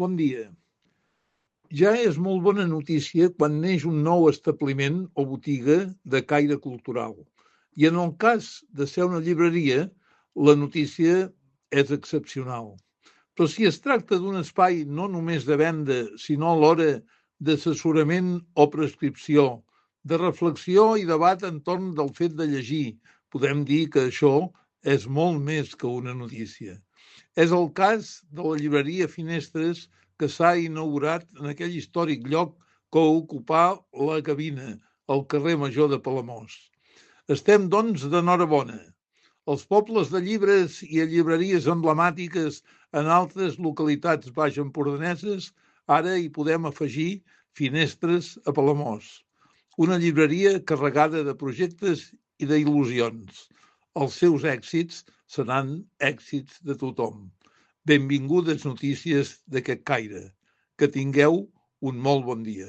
Bon dia. Ja és molt bona notícia quan neix un nou establiment o botiga de caire cultural. I en el cas de ser una llibreria, la notícia és excepcional. Però si es tracta d'un espai no només de venda, sinó alhora d'assessorament o prescripció, de reflexió i debat entorn del fet de llegir, podem dir que això és molt més que una notícia. És el cas de la llibreria Finestres, que s'ha inaugurat en aquell històric lloc que ocupà la Gavina, al carrer Major de Palamós. Estem, doncs, d'enhorabona. Els pobles de llibres i llibreries emblemàtiques en altres localitats baixempordaneses, ara hi podem afegir Finestres a Palamós. Una llibreria carregada de projectes i d'il·lusions. Els seus èxits seran èxits de tothom. Benvingudes notícies d'aquest caire. Que tingueu un molt bon dia.